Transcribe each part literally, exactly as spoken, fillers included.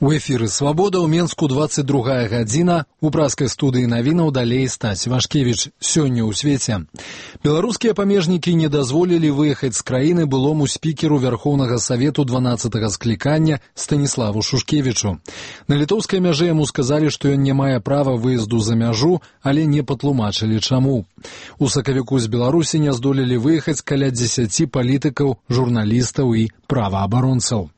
У эфіры «Свабода» ў Менску двадцать другая гадзіна. У праскай студыі навінаў далей Стась Вашкевіч. Сёння ў свеце. Беларускія памежнікі не дазволілі выехаць з краіны былому спікеру Вярхоўнага Савету дванаццатага склікання Станіславу Шушкевічу. На літоўскай мяжы яму сказалі, што ён не мае права выезду за мяжу, але не патлумачылі чаму. У сакавіку з Беларусі не здолелі выехаць каля дзесяці палітыкаў, журналістаў і праваабаронцаў.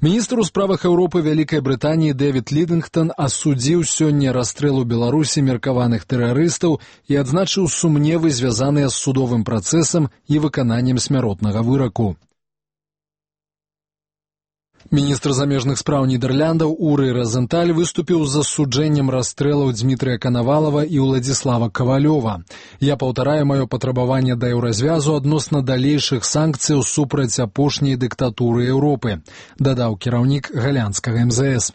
Міністр у справах Еўропы Вялікай Брытаніі Дэвід Лідынгтон асудзіў сёння расстрэл у Беларусі меркаваных тэрарыстаў і адзначыў сумневы, звязаныя з судовым працэсам і выкананнем смяротнага выраку. Міністр замежных спраў Нідэрляндаў Урый Разенталь выступіў з засуджэннем расстрэлаў Дмітрыя Канавалава і Уладзіслава Кавалёва. «Я паўтараю маё патрабаванне да еўразвязу адносна далейшых санкцыяў супраць апошняй дыктатуры Еўропы», дадаў кіраўнік галандскага эм зэ эс.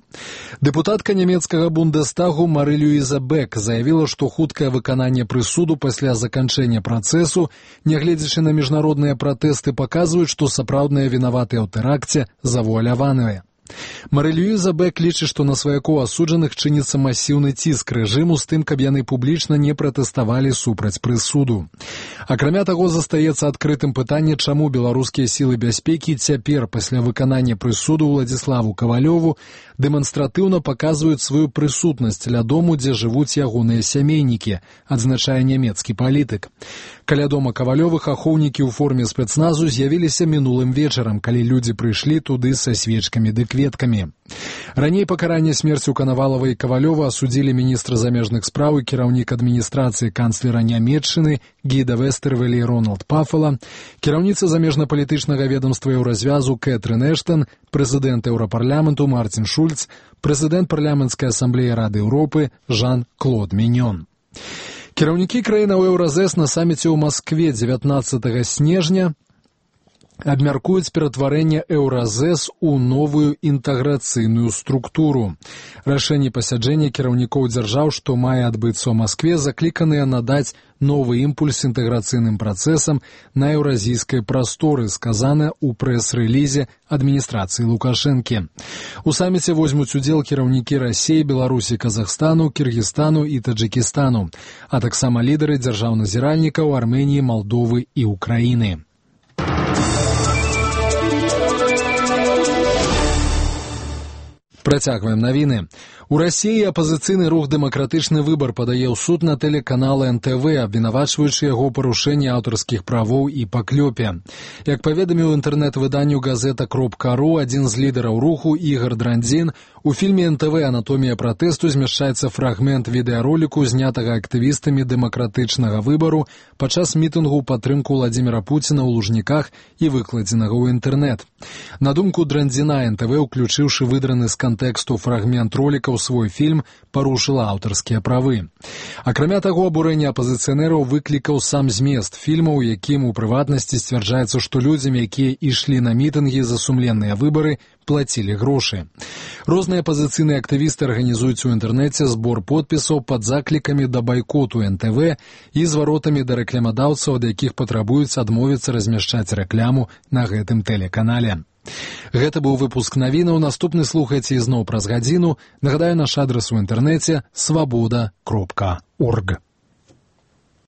Дэпутатка нямецкага Бундестагу Мары-Люіза Бек заявіла, што хуткае выкананне прысуду пасля заканчэння працэсу, нягледзячы на міжнародныя пратэсты, паказваюць, што сапраўдныя вінаватыя ў тэракце завуаляваныя. Мары-Люіза Бек лічыць, што на сваякоў асуджаных чыніцца масіўны ціск рэжыму з тым, каб яны публічна не пратэставалі супраць прысуду. Акрамя таго, застаецца адкрытым пытанне, чаму беларускія сілы бяспекі цяпер, пасля выканання прысуду Уладзіславу Кавалёву, дэманстратыўна паказваюць сваю прысутнасць ля дому, дзе жывуць ягоныя сямейнікі, адзначае нямецкі палітык. Каля дома Кавалёвых ахоўнікі ў форме спецназу з'явіліся мінулым вечарам, калі людзі прыйшлі туды са свечкамі ды кветкамі. Раней пакаранне смерцю Канавалава і Кавалёва асудзілі міністр замежных спраў і кіраўнік адміністрацыі канцлера Нямецчыны Гіда Вестэрвелі і Рональд Пафала, кіраўніца замежна-палітычнага ведамства Еўразвязу Кэтрын Эштон, прэзідэнт Еўрапарламенту Марцін Шульц, прэзідэнт парламенцкай асамблеі Рады Еўропы Жан-Клод Міньон. Кіраўнікі краінаў Еўразэс на саміце ў Маскве дзевятнаццатага снежня абмяркуюць ператварэнне Еўразэс у новую інтэграцыйную структуру. Рашэнні пасяджэння кіраўнікоў дзяржаў, што мае адбыцца ў Маскве, закліканыя надаць новы імпульс інтэграцыйным працэсам на еўразійскай прасторы, сказана ў прэс-рэлізе адміністрацыі Лукашэнкі. У саміце возьмуць удзел кіраўнікі Расіі, Беларусі, Казахстану, Кіргізстану і Таджыкістану, а таксама лідары дзяржаў-назіральнікаў Арменіі, Малдовы і Украіны. Працягваем навіны. У Расіі апазіцыйны рух «Дэмакратычны выбар» падае ў суд на тэлеканал эн тэ вэ, абвінавачваючы яго парушэнне аўтарскіх правоў і паклёпе. Як паведаміў інтэрнэт-выданню газета кропка ру адзін з лідараў руху Ігар Драндзін, у фільме эн тэ вэ «Анатомія пратэсту» змяшчаецца фрагмент відэароліку, знятага актывістамі дэмакратычнага выбару падчас мітынгу ў падтрымку Владзіміра Пуціна ў Лужніках і выкладзенага ў інтэрнэт. На думку Драндзіна, эн тэ вэ, уключыўшы выдраны з кантэксту фрагмент роліка ў свой фільм, парушыла аўтарскія правы. Акрамя таго, абурэнне апазіцыянераў выклікаў сам змест фільма, у якім у прыватнасці сцвярджаецца, што людзям, якія ішлі на мітынгі за сумленныя выбары, плацілі грошы. Розныя апазіцыйныя актывісты арганізуюць у інтэрнэце збор подпісаў пад заклікамі да байкоту эн тэ вэ і зваротамі да рэкламадаўцаў, ад якіх патрабуюць адмовіцца размяшчаць рэкляму на гэтым тэлеканале. Гэта быў выпуск навінаў. Наступны слухайце ізноў праз гадзіну. Нагадаю, наш адрас у інтэрнэце свабода кропка орг.